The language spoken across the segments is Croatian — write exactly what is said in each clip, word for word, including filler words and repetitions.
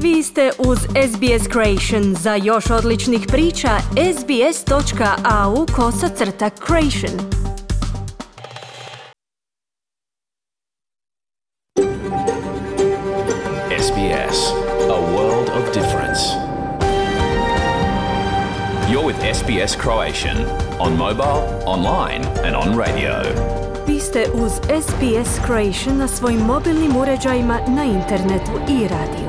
Vi ste uz S B S Creation. Za još odličnih priča, sbs.au kosacrta creation. S B S, a world of difference. You're with S B S Croatian on mobile, online and on radio. Vi ste uz S B S Creation na svojim mobilnim uređajima, na internetu i radiju.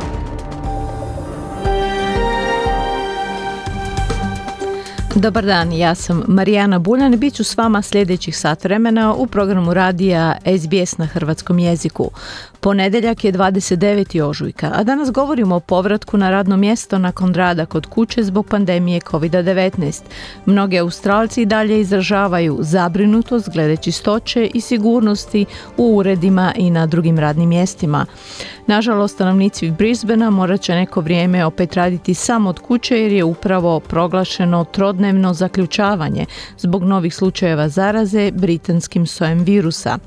Dobar dan, ja sam Marijana Buljan i bit ću s vama sljedećih sat vremena u programu radija S B S na hrvatskom jeziku. Ponedjeljak je dvadeset deveti ožujka, a danas govorimo o povratku na radno mjesto nakon rada kod kuće zbog pandemije kovid devetnaest. Mnogi Australci i dalje izražavaju zabrinutost glede čistoće i sigurnosti u uredima i na drugim radnim mjestima. Nažalost, stanovnici Brisbanea morat će neko vrijeme opet raditi samo od kuće jer je upravo proglašeno trodnevno zaključavanje zbog novih slučajeva zaraze britanskim sojem virusa.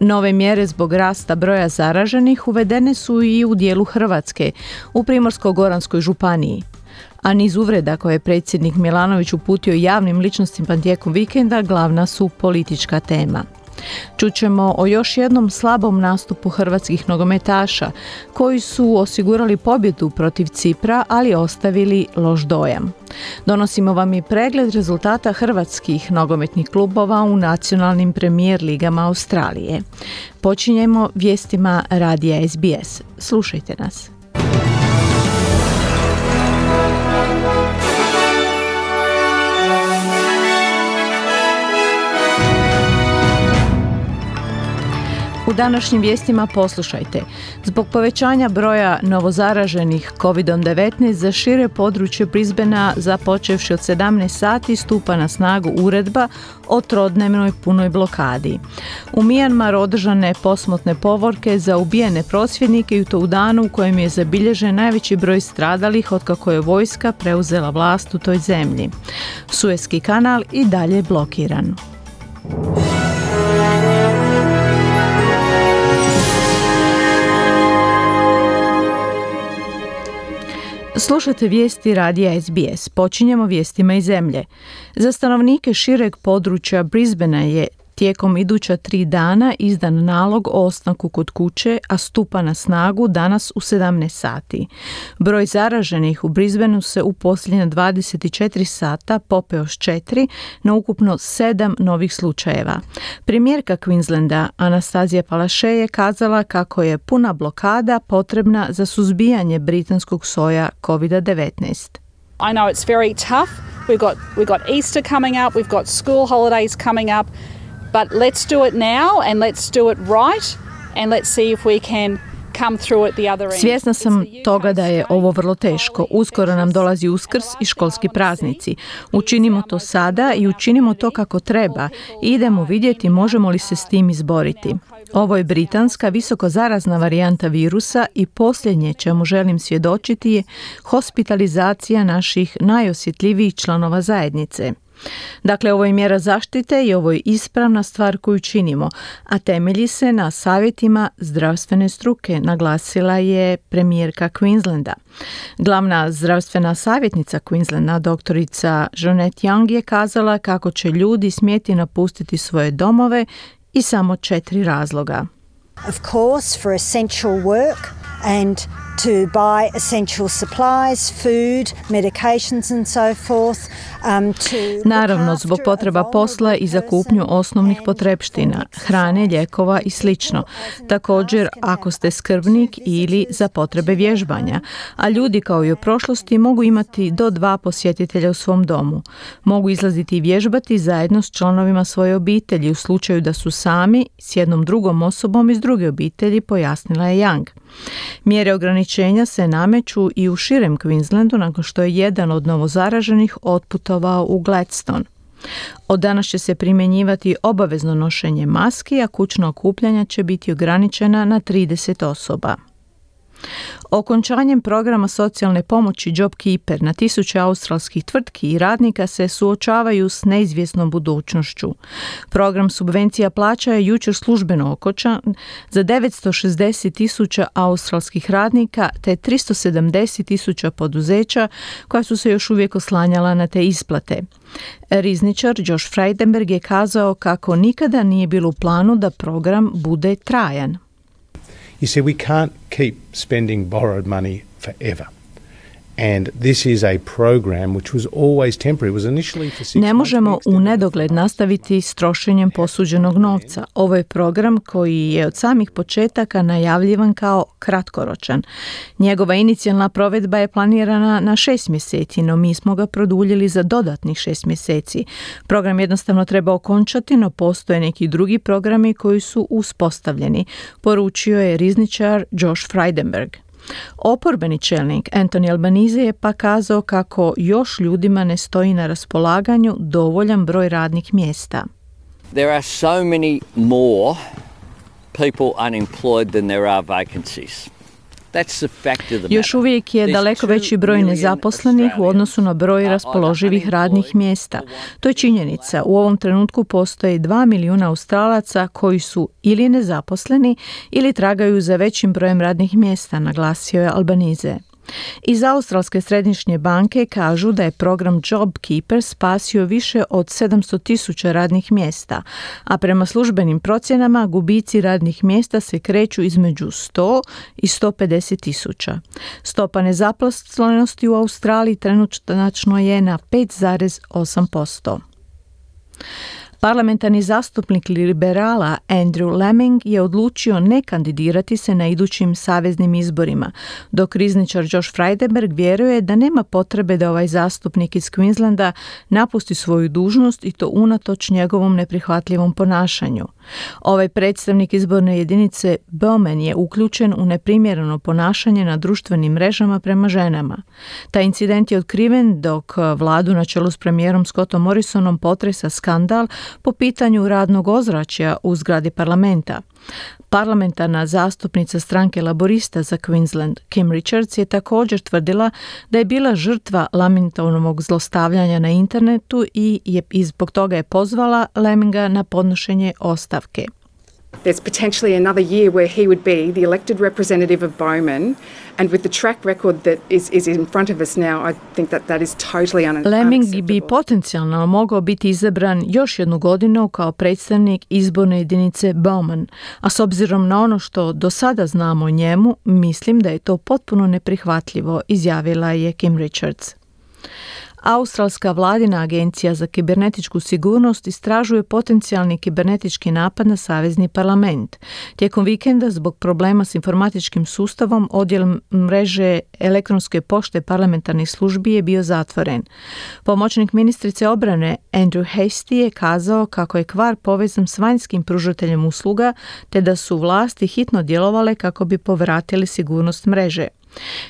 Nove mjere zbog rasta broja zaraženih uvedene su i u dijelu Hrvatske, u Primorsko-goranskoj županiji. A niz uvreda koje je predsjednik Milanović uputio javnim ličnostima tijekom vikenda glavna su politička tema. Čućemo o još jednom slabom nastupu hrvatskih nogometaša koji su osigurali pobjedu protiv Cipra, ali ostavili loš dojam. Donosimo vam i pregled rezultata hrvatskih nogometnih klubova u nacionalnim premijer ligama Australije. Počinjemo vijestima radija S B S. Slušajte nas. U današnjim vijestima poslušajte. Zbog povećanja broja novozaraženih kovid devetnaest za šire područje Brisbanea započevši od sedamnaest sati stupa na snagu uredba o trodnevnoj punoj blokadi. U Mijanmaru održane posmrtne povorke za ubijene prosvjednike i to u danu u kojem je zabilježen najveći broj stradalih otkako je vojska preuzela vlast u toj zemlji. Suezki kanal i dalje blokiran. Slušate vijesti radija S B S. Počinjemo vijestima iz zemlje. Za stanovnike šireg područja Brisbanea je tijekom iduća tri dana izdan nalog o ostanku kod kuće, a stupa na snagu danas u sedamnaest sati. Broj zaraženih u Brisbaneu se u posljednja dvadeset četiri sata popeo s četiri na ukupno sedam novih slučajeva. Premijerka Queenslanda Anastazija Palaszczuk je kazala kako je puna blokada potrebna za suzbijanje britanskog soja kovid devetnaest. I know it's very tough. We've got we've got Easter coming up, we've got school holidays coming up. But let's do it now and let's do it right and let's see if we can come through at the other end. Svjesna sam toga da je ovo vrlo teško. Uskoro nam dolazi Uskrs i školski praznici. Učinimo to sada i učinimo to kako treba. Idemo vidjeti možemo li se s tim izboriti. Ovo je britanska visoko zarazna varijanta virusa i posljednje čemu želim svjedočiti je hospitalizacija naših najosjetljivijih članova zajednice. Dakle, ovo je mjera zaštite i ovo je ispravna stvar koju činimo, a temelji se na savjetima zdravstvene struke, naglasila je premijerka Queenslanda. Glavna zdravstvena savjetnica Queenslanda, doktorica Jeanette Young, je kazala kako će ljudi smjeti napustiti svoje domove i samo četiri razloga. Of course, for essential work and to buy essential supplies, food, medications and so forth. Um, to Naravno, zbog potreba posla i za kupnju osnovnih potrepština, hrane, lijekova i slično. Također, ako ste skrbnik ili za potrebe vježbanja, a ljudi kao i u prošlosti mogu imati do dva posjetitelja u svom domu. Mogu izlaziti i vježbati zajedno s članovima svoje obitelji u slučaju da su sami s jednom drugom osobom iz druge obitelji, pojasnila je Young. Mjere ograničenja se nameću i u širem Queenslandu nakon što je jedan od novozaraženih otputovao u Gladstone. Od danas će se primjenjivati obavezno nošenje maski, a kućna okupljanja će biti ograničena na trideset osoba. Okončanjem programa socijalne pomoći JobKeeper na tisuće australskih tvrtki i radnika se suočavaju s neizvjesnom budućnošću. Program subvencija plaća je jučer službeno okončan za devetsto šezdeset tisuća australskih radnika te tristo sedamdeset tisuća poduzeća koja su se još uvijek oslanjala na te isplate. Rizničar Josh Frydenberg je kazao kako nikada nije bilo u planu da program bude trajan. You see, we can't keep spending borrowed money forever. And this is a program which was always temporary. It was initially for six months. Ne možemo u nedogled nastaviti s trošenjem posuđenog novca. Ovo je program koji je od samih početaka najavljivan kao kratkoročan. Njegova inicijalna provedba je planirana na šest mjeseci, no mi smo ga produljili za dodatnih šest mjeseci. Program jednostavno treba okončati, no postoje neki drugi programi koji su uspostavljeni, poručio je rizničar Josh Frydenberg. Oporbeni čelnik Anthony Albanese je pa kazao kako još ljudima ne stoji na raspolaganju dovoljan broj radnih mjesta. There are so many more people unemployed than there are vacancies. Još uvijek je daleko veći broj nezaposlenih u odnosu na broj raspoloživih radnih mjesta. To je činjenica. U ovom trenutku postoje dva milijuna Australaca koji su ili nezaposleni ili tragaju za većim brojem radnih mjesta, naglasio je Albanese. Iz Australske središnje banke kažu da je program JobKeeper spasio više od sedamsto tisuća radnih mjesta, a prema službenim procjenama gubici radnih mjesta se kreću između sto i sto pedeset tisuća. Stopa nezaposlenosti u Australiji trenutačno je na pet zarez osam posto. Parlamentarni zastupnik liberala Andrew Laming je odlučio ne kandidirati se na idućim saveznim izborima, dok rizničar Josh Frydenberg vjeruje da nema potrebe da ovaj zastupnik iz Queenslanda napusti svoju dužnost i to unatoč njegovom neprihvatljivom ponašanju. Ovaj predstavnik izborne jedinice Bowman je uključen u neprimjereno ponašanje na društvenim mrežama prema ženama. Taj incident je otkriven dok vladu na čelu s premijerom Scottom Morrisonom potresa skandal po pitanju radnog ozračja u zgradi parlamenta. Parlamentarna zastupnica stranke laborista za Queensland, Kim Richards, je također tvrdila da je bila žrtva Lamingtonovog zlostavljanja na internetu i, je, i zbog toga je pozvala Laminga na podnošenje ostavke. There's potentially another year where he would be the elected representative of Bowman, and with the track record that is, is in front of us now, I think that that is totally unacceptable. Laming bi potencijalno mogao biti izabran još jednu godinu kao predstavnik izborne jedinice Bowman, a s obzirom na ono što do sada znamo o njemu, mislim da je to potpuno neprihvatljivo, izjavila je Kim Richards. Australska vladina agencija za kibernetičku sigurnost istražuje potencijalni kibernetički napad na savezni parlament. Tijekom vikenda zbog problema s informatičkim sustavom odjel mreže elektronske pošte parlamentarnih službi je bio zatvoren. Pomoćnik ministrice obrane Andrew Hastie je kazao kako je kvar povezan s vanjskim pružateljem usluga te da su vlasti hitno djelovale kako bi povratili sigurnost mreže.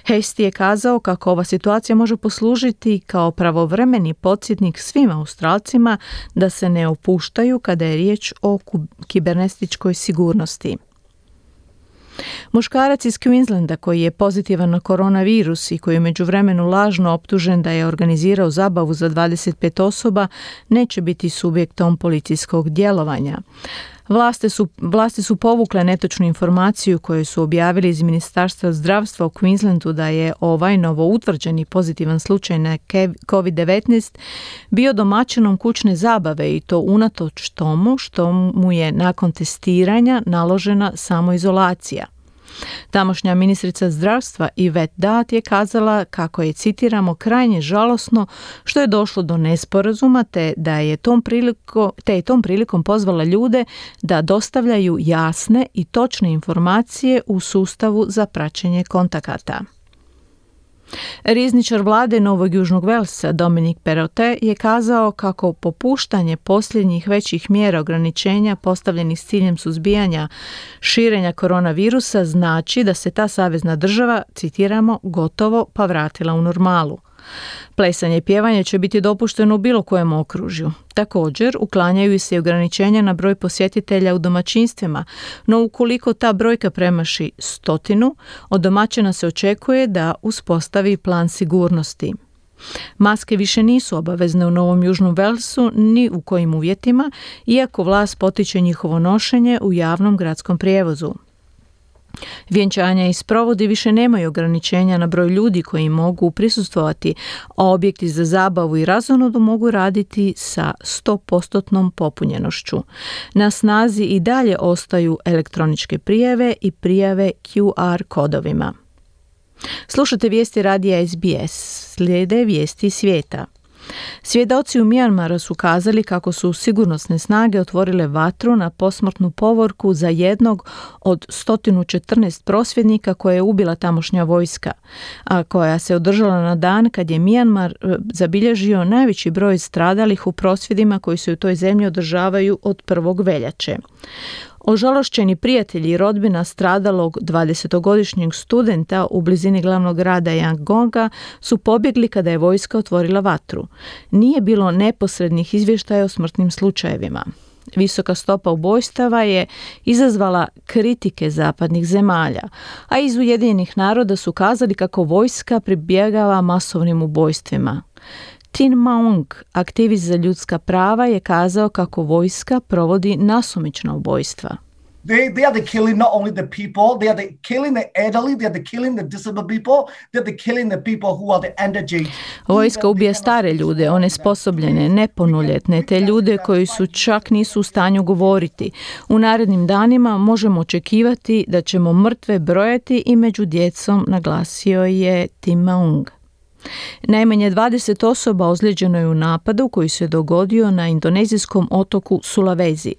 Hastie je kazao kako ova situacija može poslužiti kao pravovremeni podsjetnik svim Australcima da se ne opuštaju kada je riječ o kibernetičkoj sigurnosti. Muškarac iz Queenslanda koji je pozitivan na koronavirus i koji je međuvremenu lažno optužen da je organizirao zabavu za dvadeset pet osoba neće biti subjektom policijskog djelovanja. Vlasti su, vlasti su povukle netočnu informaciju koju su objavili iz Ministarstva zdravstva u Queenslandu da je ovaj novo utvrđeni pozitivan slučaj na kovid devetnaest bio domaćinom kućne zabave i to unatoč tomu što mu je nakon testiranja naložena samoizolacija. Tamošnja ministrica zdravstva Yvette Dart je kazala kako je, citiramo, krajnje žalosno što je došlo do nesporazuma te da je tom prilikom, te je tom prilikom pozvala ljude da dostavljaju jasne i točne informacije u sustavu za praćenje kontakata. Rizničar vlade Novog Južnog Velsa Dominic Perrottet je kazao kako popuštanje posljednjih većih mjera ograničenja postavljenih s ciljem suzbijanja širenja koronavirusa znači da se ta savezna država, citiramo, gotovo pa vratila u normalu. Plesanje i pjevanje će biti dopušteno u bilo kojem okružju. Također, uklanjaju se i ograničenja na broj posjetitelja u domaćinstvima, no ukoliko ta brojka premaši stotinu, od domaćina se očekuje da uspostavi plan sigurnosti. Maske više nisu obavezne u Novom Južnom Walesu ni u kojim uvjetima, iako vlast potiče njihovo nošenje u javnom gradskom prijevozu. Vjenčanja i sprovodi više nemaju ograničenja na broj ljudi koji mogu prisustvovati, a objekti za zabavu i razonodu mogu raditi sa sto posto popunjenošću. Na snazi i dalje ostaju elektroničke prijave i prijave Q R kodovima. Slušate vijesti radija S B S, slijede vijesti svijeta. Svjedoci u Mijanmaru su kazali kako su sigurnosne snage otvorile vatru na posmrtnu povorku za jednog od sto četrnaest prosvjednika koje je ubila tamošnja vojska, a koja se održala na dan kad je Mijanmar zabilježio najveći broj stradalih u prosvjedima koji se u toj zemlji održavaju od prvog veljače. Ožalošćeni prijatelji i rodbina stradalog dvadesetogodišnjeg studenta u blizini glavnog grada Yangonga su pobjegli kada je vojska otvorila vatru. Nije bilo neposrednih izvještaja o smrtnim slučajevima. Visoka stopa ubojstava je izazvala kritike zapadnih zemalja, a iz Ujedinjenih naroda su kazali kako vojska pribjegava masovnim ubojstvima. Tin Maung, aktivist za ljudska prava, je kazao kako vojska provodi nasumična ubojstva. They, they are the killing not only the people, they are the killing the elderly, they are the killing the disabled people, they are the killing the people who are the underage. Vojska ubija stare ljude, onesposobljene, nepunoljetne, te ljude koji su čak nisu u stanju govoriti. U narednim danima možemo očekivati da ćemo mrtve brojati i među djecom, naglasio je Tim Maung. Najmanje dvadeset osoba ozlijeđeno je u napadu koji se dogodio na indonezijskom otoku Sulawesi.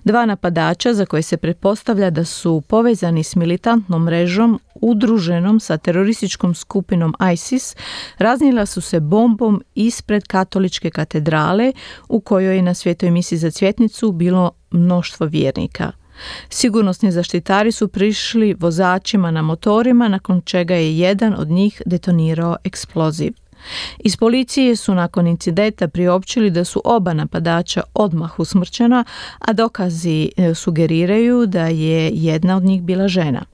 Dva napadača, za koje se pretpostavlja da su povezani s militantnom mrežom udruženom sa terorističkom skupinom ISIS, raznijela su se bombom ispred katoličke katedrale u kojoj je na svetoj misi za cvjetnicu bilo mnoštvo vjernika. Sigurnosni zaštitari su prišli vozačima na motorima, nakon čega je jedan od njih detonirao eksploziv. Iz policije su nakon incidenta priopćili da su oba napadača odmah usmrćena, a dokazi sugeriraju da je jedna od njih bila žena.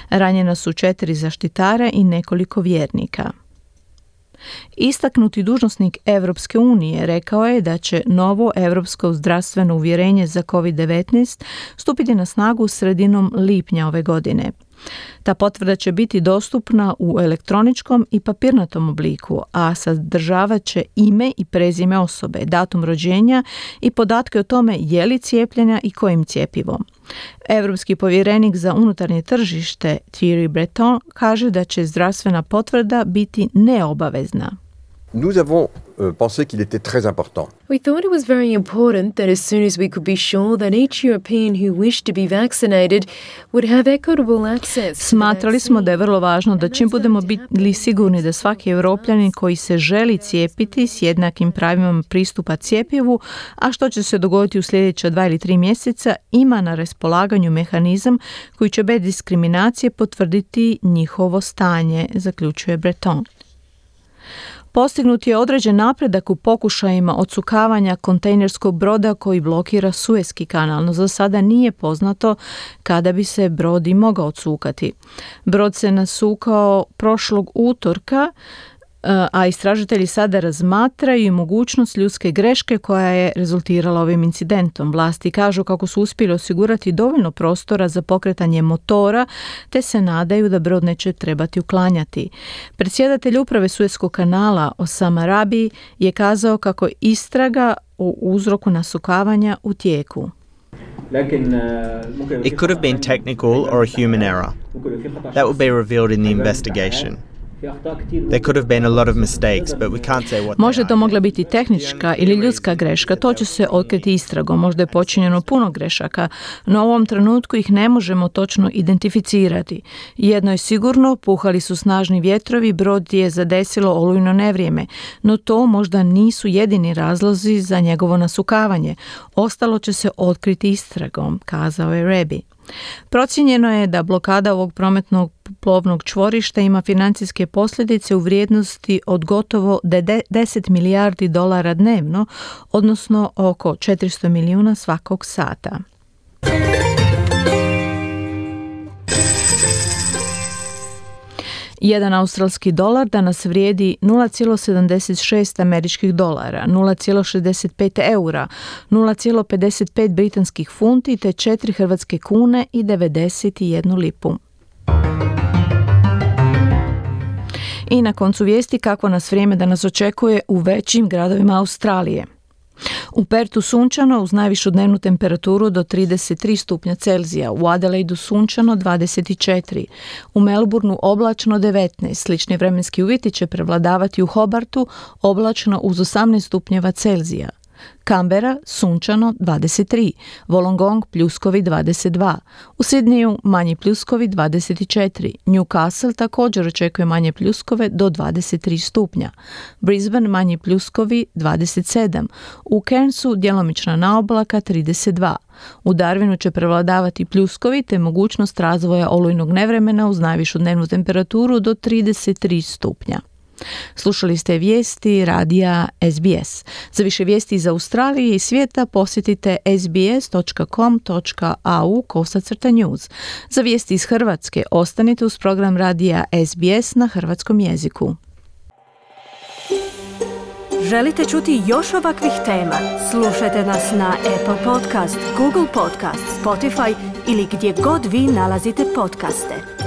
Ranjena su četiri zaštitara i nekoliko vjernika. Istaknuti dužnosnik Europske unije rekao je da će novo europsko zdravstveno uvjerenje za kovid devetnaest stupiti na snagu sredinom lipnja ove godine. Ta potvrda će biti dostupna u elektroničkom i papirnatom obliku, a sadržavat će ime i prezime osobe, datum rođenja i podatke o tome je li cijepljena i kojim cjepivom. Europski povjerenik za unutarnje tržište Thierry Breton kaže da će zdravstvena potvrda biti neobavezna. Nous avons euh, pensé qu'il était très important. We thought it was very important that as soon as we could be sure that each European who wished to be vaccinated would have equitable access. Smatrali smo da je vrlo važno da čim budemo bili sigurni da svaki Evropljanin koji se želi cijepiti s jednakim pravima pristupa cjepivu, a što će se dogoditi u sljedeća dva ili tri mjeseca, ima na raspolaganju mehanizam koji će bez diskriminacije potvrditi njihovo stanje, zaključuje Breton. Postignut je određen napredak u pokušajima odsukavanja kontejnerskog broda koji blokira Suezki kanal, no za sada nije poznato kada bi se brod i mogao odsukati. Brod se nasukao prošlog utorka, a istražitelji sada razmatraju mogućnost ljudske greške koja je rezultirala ovim incidentom. Vlasti kažu kako su uspjeli osigurati dovoljno prostora za pokretanje motora, te se nadaju da brod neće trebati uklanjati. Predsjedatelj uprave Suezkog kanala Osama Rabi je kazao kako istraga o uzroku nasukavanja u tijeku. It could have been technical or a human error. That will be revealed in the investigation. There could have been a lot of mistakes, but we can't say what. Može to mogla biti tehnička ili ljudska greška, to će se otkriti istragom. Možda je počinjeno puno grešaka, no u ovom trenutku ih ne možemo točno identificirati. Jedno je sigurno, puhali su snažni vjetrovi, brod je zadesilo olujno nevrijeme, no to možda nisu jedini razlozi za njegovo nasukavanje. Ostalo će se otkriti istragom, kazao je Rabi. Procijenjeno je da blokada ovog prometnog zrakoplovnog čvorišta ima financijske posljedice u vrijednosti od gotovo deset milijardi dolara dnevno, odnosno oko četiristo milijuna svakog sata. Jedan australski dolar danas vrijedi nula zarez sedamdeset šest američkih dolara, nula zarez šezdeset pet eura, nula zarez pedeset pet britanskih funti te četiri hrvatske kune i devedeset jednu lipu. I na koncu vijesti kako nas vrijeme danas očekuje u većim gradovima Australije. U Pertu sunčano uz najvišu dnevnu temperaturu do trideset tri stupnja Celzija, u Adelaidu sunčano dvadeset četiri, u Melbourneu oblačno devetnaest, slični vremenski uvjeti će prevladavati u Hobartu, oblačno uz osamnaest stupnjeva Celzija. Canberra sunčano dvadeset tri, Wollongong pljuskovi dvadeset dva, u Sydneyu manji pljuskovi dvadeset četiri, Newcastle također očekuje manje pljuskove do dvadeset tri stupnja, Brisbane manji pljuskovi dvadeset sedam, u Cairnsu djelomična naoblaka trideset dva, u Darwinu će prevladavati pljuskovi te mogućnost razvoja olujnog nevremena uz najvišu dnevnu temperaturu do trideset tri stupnja. Slušali ste vijesti radija S B S. Za više vijesti iz Australije i svijeta posjetite sbs točka com točka a u kosacrta news. Za vijesti iz Hrvatske ostanite uz program radija S B S na hrvatskom jeziku. Želite čuti još ovakvih tema? Slušajte nas na Apple Podcast, Google Podcast, Spotify ili gdje god vi nalazite podcaste.